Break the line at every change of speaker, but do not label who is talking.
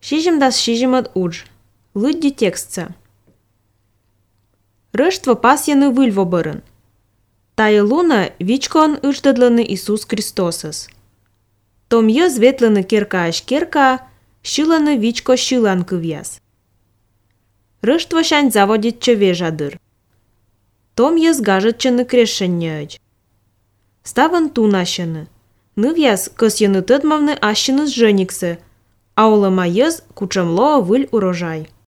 Шижӹм дас шижӹмыд удж. Лыдди текстсӓ. Рыштво пас йыны выльво бырын. Тайы луна вичкоон ыждыдлыны Иисус Христосыс. Том йыз ветлыны керкааш керкаа, шыланы вичко шылан кывяз. Рыштво шань заводит чывежадыр. Том йыз гажытчыны крешшӹнньӹӹч. Ставын тунащыны. Нывяз кыс йыны тыдмавны ащыныс жыниксӹ, а олыма йыз кучемлоо выль урожай.